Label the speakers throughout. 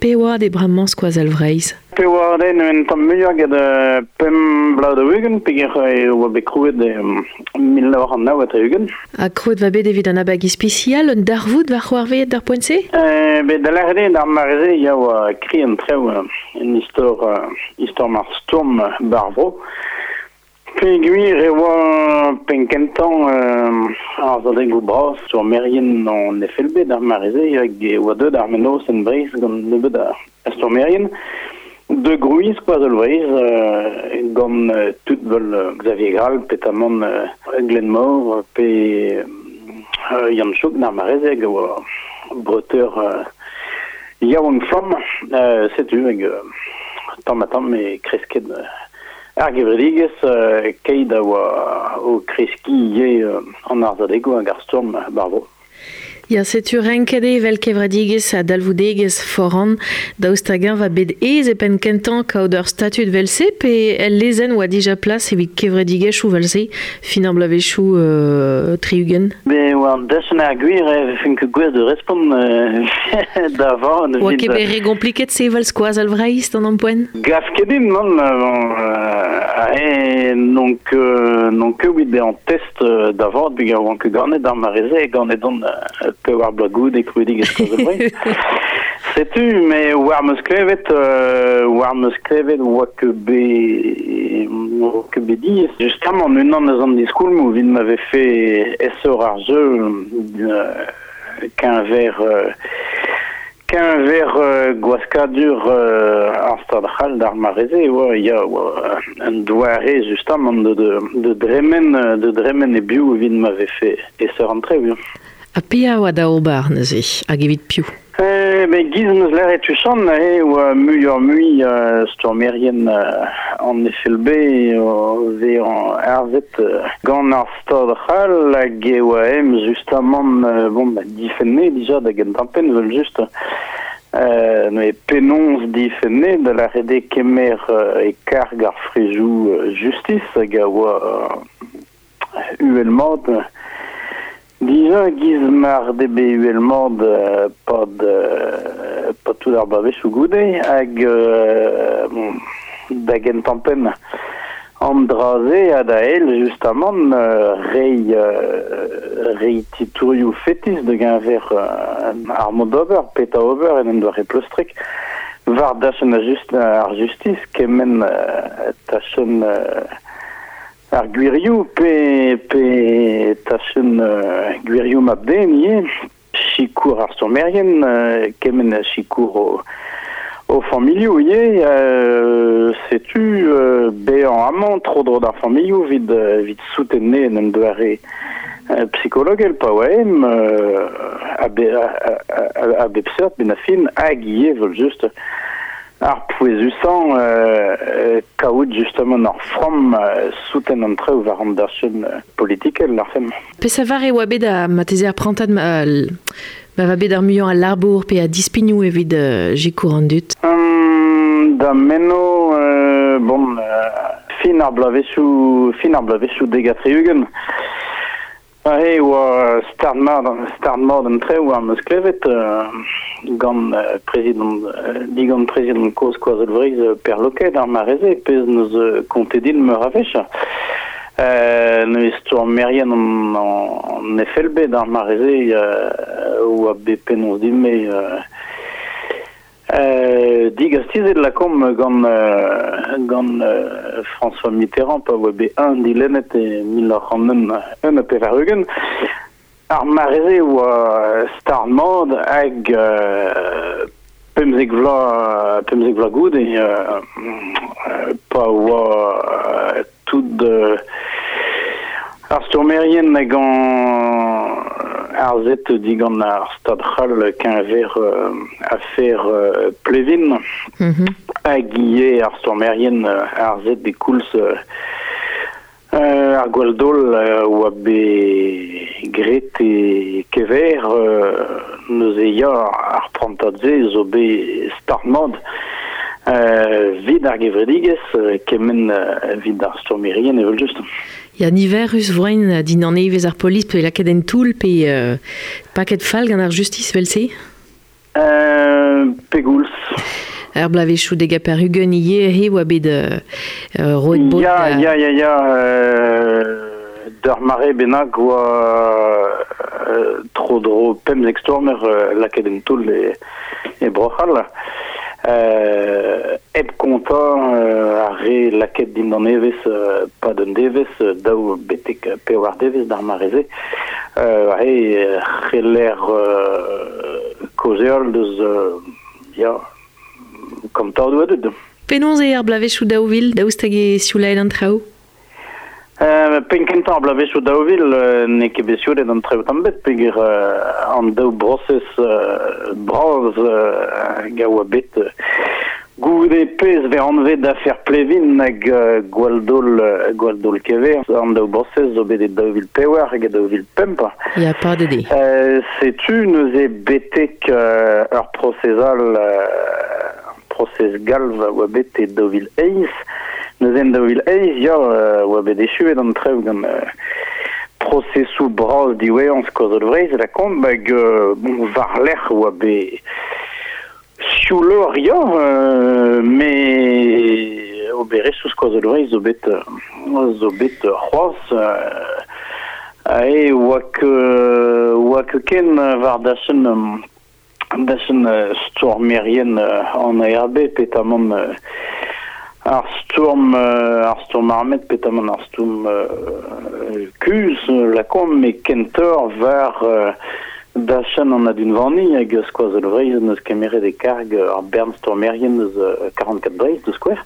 Speaker 1: Pe oad eo bremañ Skoazell Vreizh?
Speaker 2: Pe oad eo un tamm muioc'h get pemp bloaz daou-ugent peogwir e oa bet krouet e 1969.
Speaker 1: Ha krouet va bet evit an abeg ispisial, un darvoud war c'hoarvezet d'ar poent-se?
Speaker 2: Bet da lâret eo d'ar mare-se ya oa kri an traoù en istor istor mar stourm bar vro. Peogwir e oa penn-kentañ ar sadegoù bras stourmerien an FLB d'ar mare-se hag e oa deuet ar mennozh en Breizh gant nebeut a stourmerien de grouiñ Skoazell Vreizh gant tud 'vel Xavier Grall petamant Glenmor pe Yann Chouk d'ar mare-se hag a oa breteur yaouank-flamm. Setu hag tamm-ha-tamm e kresket Ar gevredigezh keit a oa o kreskiñ ivez an arzadegoù hag ar stourm war vro.
Speaker 1: Ya, setu renket eo evel kevredigezh a dalvoudegezh foran. Daoust hag-eñ va bet aes e penn kentañ kaout ur statud 'vel-se pe el lezenn oa dija plas evit kevredigezhioù 'vel-se fin ar bloavezhioù 60?
Speaker 2: Bet oa an dachenn ar gwir e vefen ket gouest da respont da vat.
Speaker 1: Oa ket bet re gompliket sevel Skoazell Vreizh d'an ampoent?
Speaker 2: Gav ket din, nann. N'on ket n'on ket evit bezañ test da vat peogwir oan ket ganet d'ar mare-se, ganet on pevar bloaz goude krouidigezh Skoazell Vreizh. Setu, me war 'm eus klevet, war 'm eus klevet oa ket bet oa ket bet diaes. Justamant, unan eus an diskoulmoù evit ma vefe aesoc'h ar jeu keñver Keñver gwaskadur ar Stad c'hall d'ar mare-se e oa ya oa un doare justamant de dremen de dremen e-biou evit ma vefe aesoc'h an traoù.
Speaker 1: Ha pe a oa da ober neuze hag evit piv?
Speaker 2: Ben giz 'm eus lâret tuchant e oa muioc'h-mui stourmerien an FLB o vezañ arzet gant ar Stad c'hall hag e oa em justamant bon difenne dija da gentañ-penn evel-just. Neuze penaos difenne da lâret eo kemer e karg ar frejoù justis hag a oa uhel-mat. Dija giz mar d'eo bet uhel-mat pad pad tout ar bloavezhioù goude hag bon da gentañ-penn An dra-se ha da eil justamant reiñ reiñ titourioù fetis da geñver ar mod d'ober, petra ober en un doare pleustrek war dachenn ar justis kement tachenn ar gwirioù pe pe tachenn gwirioù mab-den ivez. Sikour ar stourmerien, kement a sikour o familhoù ivez. Setu bezañ amañ tro-dro d'ar familhoù evit evit souten en un doare psikologel pa oa-eñ a bep seurt benn ar fin hag ivez evel-just Ar pouezusañ kaout justement ur framm souten an traoù war an dachenn politikel, lârfemp.
Speaker 1: Peseurt e oa bet marteze ar prantad ma, ma va bet ar muiañ a labour pe a dispignoù evit sikour an dud?
Speaker 2: Da meno, bon, fin ar bloavezhioù, fin ar bloavezhioù 70. Aze e oa start-mat start-mat an traoù am eus klevet gant prezidant digant prezidant kozh Skoazell Vreizh Per Loquet ar mare-se pezh 'neus kontet din meur a wech. Neuze stourmerien an FLB d'ar mare-se oa bet penaos din-me Digastizet lakaomp gant gant François Mitterrand pa oa bet eñ dilennet e 1981. Ar mare-se e oa start-mat hag 15 vloaz 15 vloaz goude pa oa tout ar stourmerien hag arzet digant ar Stad c'hall keñver afer Plevin hag ivez ar stourmerien arzet e koulz ar gwall-daol oa bet graet e Kever neuze ya ar prantad-se zo bet start-mat 'vit ar gevredigezh kement evit ar stourmerien evel-just.
Speaker 1: Ya, niverus voaint dindan evezh ar polis pe lakaet en toull pe paket fall gant ar justis evel-se?
Speaker 2: Pegoulz.
Speaker 1: Ar blavezhioù deg ha pevar-ugent ivez he oa bet roet bod
Speaker 2: Ya, ya, ya, ya, d'ur mare bennak oa tro-dro 15 stourmer lakaet en toull e Bro-C'hall. Hep kontañ ar re lakaet dindan evezh 'pad un devezh, daou betek pevar devezh d'ar mare-se. Aze c'heller kaozeal deus ya, kantadoù a dud.
Speaker 1: Penaos eo ar bloavezhioù 2000, daoust hag eo sioulaet an traoù?
Speaker 2: Penn kentañ ar bloavezhioù 2000 n'eo ket bet sioulet an traoù tamm bet peogwir an daou brosez bras hag a oa bet goude pezh vez anvet afer Plevin hag gwall-daol gwall-daol Kever. An daou brosez zo bet e 2004 hag e 2005.
Speaker 1: Ya, padet
Speaker 2: eo. Setu neuze betek ur prosez all, prosez galv a oa bet e 2008. Neuze en 2008, ya, oa bet echuet an traoù gant prosesoù bras diwezhañ Skoazell Vreizh lakaomp hag bon, war-lerc'h oa bet siouloc'h, ya, met oberezhioù Skoazell Vreizh zo bet zo bet c'hoazh ae oa ket oa ket ken war dachenn dachenn stourmerien an ARB petamant ar stourm ar stourm armet petamant ar stourm kuzh lakaomp met kentoc'h war dachenn an adunvaniñ hag Skoazell Vreizh en deus kemeret e karg ar bern stourmerien eus 44 Breizh da skouer.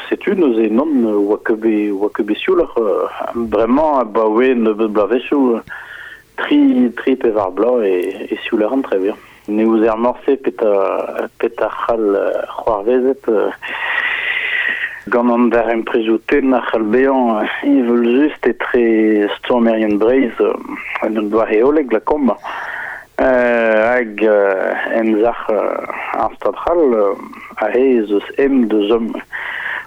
Speaker 2: Setu neuze nann oa ket bet oa ket bet siouloc'h bremañ abaoe nebeut bloavezhioù Tri, tri pevar bloaz e, e siouler an traoù, ya. Ne ouzer morse petra, petra c'hall c'hoarvezet gant an darempredoù tenn a c'hall bezañ evel-just etre stourmerien Breizh en un doare hollek lakaomp hag emzalc'h ar Stad c'hall aze ez eus em deus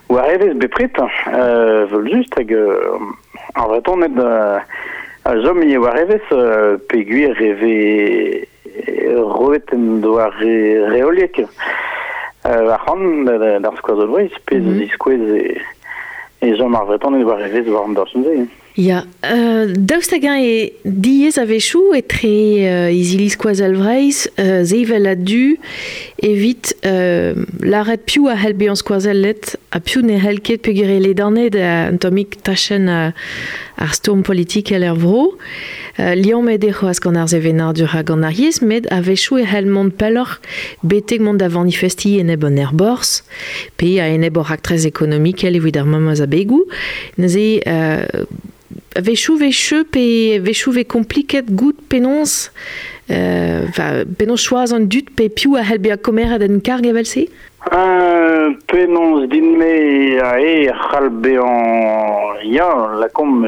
Speaker 2: war evezh bepred evel-just hag Ar Vretoned a chom ivez war evezh peogwir e vez roet un doare reoliek arc'hant d'ar Skoazell Vreizh, pezh a ziskouez e chom ar Vretoned war evezh war an dachenn-se.
Speaker 1: Ya, daoust hag-eñ eo diaes a-wechoù etre izili Skoazell Vreizh sevel a-du evit lâret piv a c'hell bezañ skoazellet ha piv ne c'hell ket peogwir eo ledanet un tammig tachenn ar stourm politikel er vro. Liammet eo c'hoazh gant ar sevenadur ha gant ar yezh met a-wechoù e c'hell mont pelloc'h betek mont da vanifestiñ enep an aerborzh pe a-enep hor raktres ekonomikel evit ar memes abegoù. Neuze, a-wechoù 'vez cheu pe a-wechoù 'vez kompliket goût penaos, enfin, penaos choaz an dud pe piv a c'hell bezañ komeret en karg evel-se?
Speaker 2: Penaos din-me ae c'hall bezañ ya, lakaomp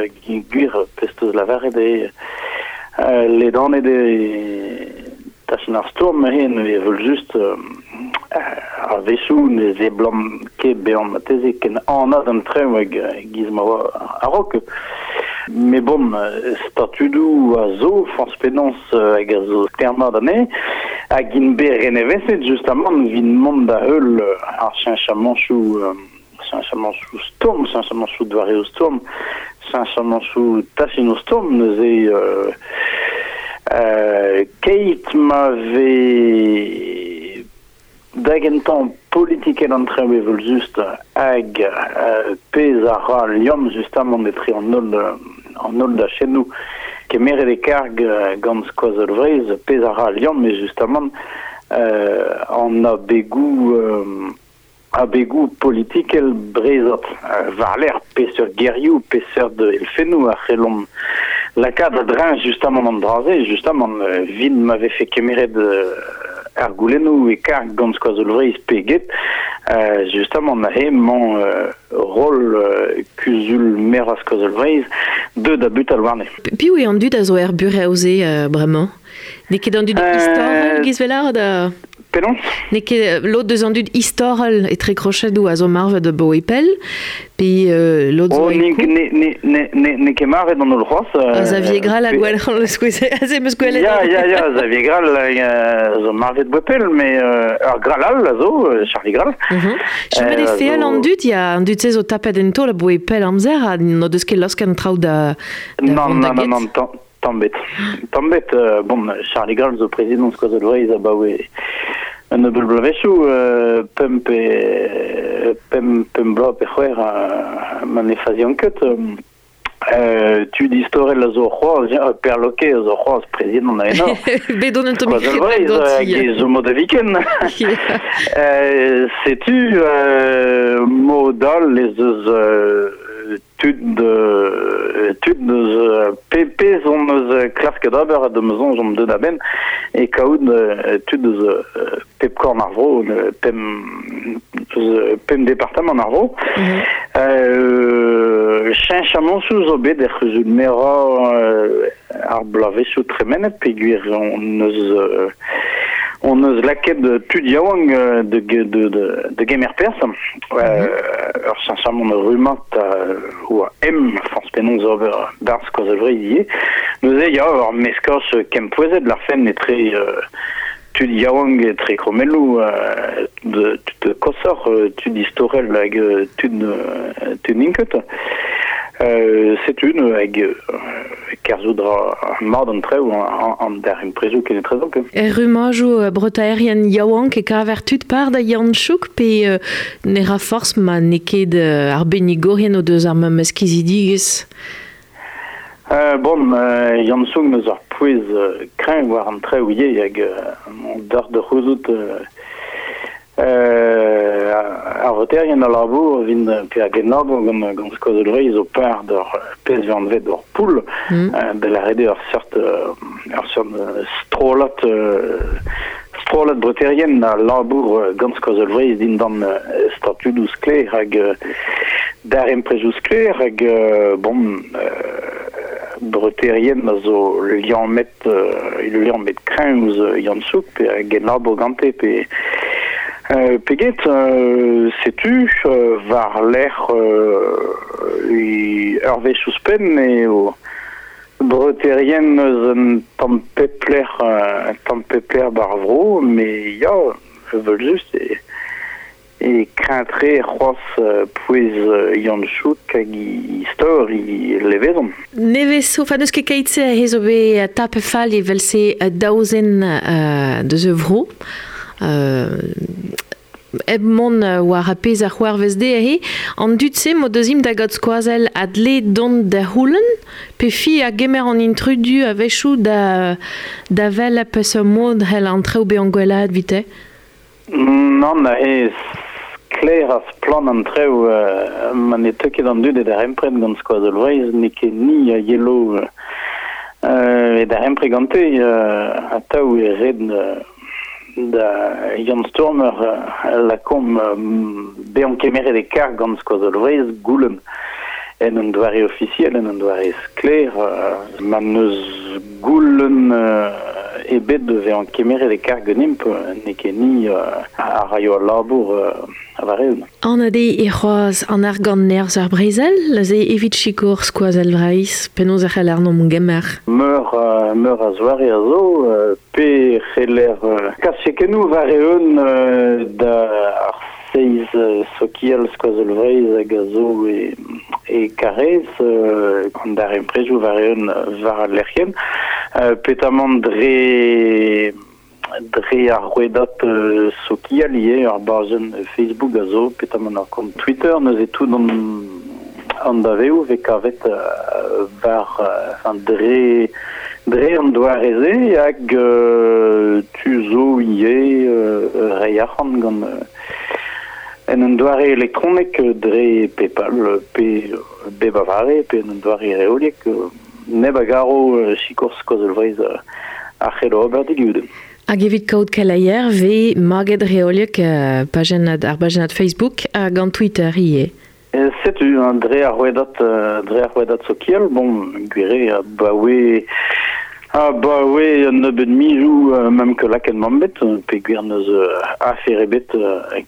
Speaker 2: gwir pezh 'teus lavaret eo ledanet eo tachenn ar stourm hen evel-just a-wechoù ne seblant ket bezañ marteze ken anat an traoù hag e-giz ma oa a-raok. Met bon, statudoù a zo, forzh penaos hag a zo termat anezhe, hag int bet reneveset justamant evit mont da heul ar cheñchamanchoù cheñchamanchoù stourm, cheñchamanchoù doareoù stourm, cheñchamanchoù tachennoù stourm neuze keit ma vez da gentañ politikel an traoù evel-just hag pezh a ra al liamm justamant etre an holl an holl dachennoù kemeret e karg gant Skoazell Vreizh, pezh a ra al liamm eo justamant an abegoù Abegoù politikel breizhat war-lerc'h peseurt gerioù, peseurt elfennoù a c'hellomp lakaat a-dreñv justamant an dra-se, justamant evit ma vefe kemeret ar goulennoù e karg gant Skoazell Vreizh pe get, justamant aze emañ roll kuzul merañ Skoazell Vreizh deuet da butal warne.
Speaker 1: Piv eo an dud a zo er burev-se bremañ? N'eo ket an dud istorel, giz 'vel lâret?
Speaker 2: Penaos?
Speaker 1: N'eo ket lod deus an dud istorel etre krochedoù a zo marvet abaoe pell, pe lod zo
Speaker 2: Oh, n'eo ket marvet an holl c'hoazh.
Speaker 1: Xavier Grall a gwell aze 'm eus gwelet.
Speaker 2: Ya, ya, ya, Xavier Grall zo marvet abaoe pell, met ur Grall all a zo, Charlie Grall.
Speaker 1: Chomet eo feal an dud, ya, an dud-se zo tapet en taol abaoe pell amzer ha n'o deus ket laosket an traoù da
Speaker 2: vont da get. Non, non, non, tamm bet. Tamm bet, bon, Charlie Grall zo prezidant Skoazell Vreizh abaoe un nebeud bloavezhioù, pemp pe pemp, pemp bloaz pe c'hwec'h, ma ne fazian ket. Tud istorel a zo c'hoazh, ya, Per Loquet a zo c'hoazh prezidant a enor.
Speaker 1: Bet on un tammig
Speaker 2: Skoazell Vreizh, hag e zo mod da viken. Setu, mod all ez eus tud tud eus pe pezh hon eus klasket ober ha da ma soñj omp deuet a-benn e kaout tud eus pep korn ar vro, pemp eus pemp departamant ar vro. Cheñchamantoù zo bet er c'huzul-merañ ar bloavezhioù tremenet peogwir hon eus hon eus lakaet tud yaouank da gemer perzh. Ur cheñchamant rummad oa em forzh penaos ober barzh Skoazell Vreizh ivez. Neuze ya, ur meskaj kempouezet larfen etre tud yaouank etre krommelloù, tud koshoc'h, tud istorel hag tud tud n'int ket. Setu hag kerzhout ra mat an traoù an darempredoù kenetrezomp.
Speaker 1: Er rummajoù breutaerien yaouank e kaver tud par da Yann Chouk pe ne ra forzh ma n'eo ket arbennigourien o deus ar memes kizidigezh?
Speaker 2: Bon, Yann Souk n'eus ur pouez kreñv war an traoù ivez hag deoc'h da c'houzout ar voterien a labour evit pe a genlabour gant gant Skoazell Vreizh zo par d'ur pezh vez anvet ur poul, da lâret eo ur seurt strollad strollad breutaerien a labour gant Skoazell Vreizh dindan statudoù sklaer hag darempredoù sklaer hag bon breutaerien a zo liammet liammet kreñv ouzh Yann Souk pe a genlabour gante pe pe get setu war-lerc'h ur wech ouzhpenn eo breutaerien eus un tamm pep lec'h un tamm pep lec'h 'ba ar vro met ya evel-just e kreñv-tre c'hoazh pouez Yann Chouk hag istor he levezon.
Speaker 1: Nevez zo, enfin n'eus ket keit-se he zo bet tapet fall evel-se daou zen deus e vro. Hep mont war ar pezh a c'hoarvez dezhe, an dud-se m'o deus int da gaout skoazell a dle dont da c'houlenn, pe fi a gemer an intrudu a-wechoù da, da wel peseurt mod c'hell an traoù bezañ gwellaet evite?
Speaker 2: Nann, aze sklaer ha splann an traoù. Ma ne teu ket an dud e darempred gant Skoazell Vreizh, n'eo ket ni a yelo e darempred gante. Atav e red da Yann Stourmer lakaomp bezañ kemeret e karg gant Skoazell Vreizh goulenn en un doare ofisiel, en un doare sklaer. Ma n'eus goulenn ebet da vezañ kemeret e karg ganimp, n'eo ket ni a raio al labour war-eeun.
Speaker 1: Anat eo e c'hoazh an argant nerzh ar brezel, neuze evit sikour Skoazell Vreizh, penaos e c'hell àrnomp gemer?
Speaker 2: Meur, meur a zoare a zo, pe c'heller kas chekennoù war-eeun da ar seiz sokial Skoazell Vreizh hag a zo e, e Karaez, an darempredoù war-eeun war al lec'hienn, petamant dre dre ar rouedad sokial ivez, ar bajenn Facebook a zo, petamant ar kont Twitter, neuze tout an an daveoù vez kavet war enfin dre dre an doare-se hag tu zo ivez reiñ arc'hant gant en un doare elektronek dre PayPal pe bep a vare pe en un doare reoliek neb a garo sikour Skoazell Vreizh a c'hello ober digudenn.
Speaker 1: Hag evit kaout keleier vez maget reoliek pajennad, ar bajennad Facebook hag an Twitter ivez.
Speaker 2: Setu, dre ar rouedad dre ar rouedad sokial, bon, gwir eo, abaoe Ah ba oe, un nebeud mizioù mem ket lakaet mamm bet, peogwir n'eus afer ebet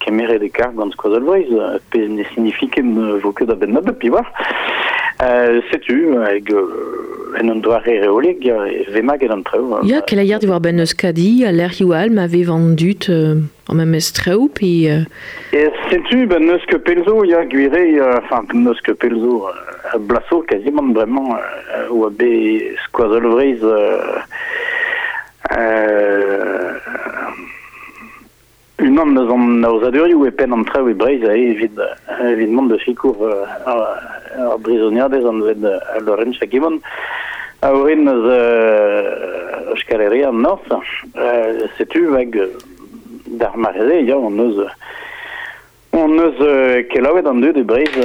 Speaker 2: kemeret e karg gant Skoazell Vreizh, pezh ne signifi ket ne vo ket a-benn nebeut, piv oar. Setu, hag en un doare reoliek, ya, e vez maget an traoù.
Speaker 1: Ya, keleier diwar-benn Euskadi ha lec'hioù all ma vev an dud an memes traoù, pe...
Speaker 2: E setu, ben n'eus ket pell zo, ya, gwir eo, enfin, n'eus ket pell zo, bloaz zo kazimant bremañ, oa bet Skoazell Vreizh unan eus an aozadurioù e penn an traoù e Breizh evit evit mont da sikour ar brizoniadez anvet Lorentza Gibon a orin eus Euskal Herria an Norzh. Setu hag d'ar mare-se ya hon eus kelaouet an dud e Breizh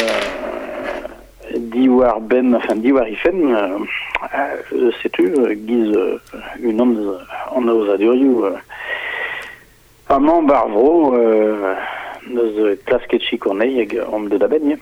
Speaker 2: diwar-benn enfin diwar he fenn setu giz unan eus an aozadurioù amañ bar vro neus klasket sikour anezhi hag omp deut a-benn ya.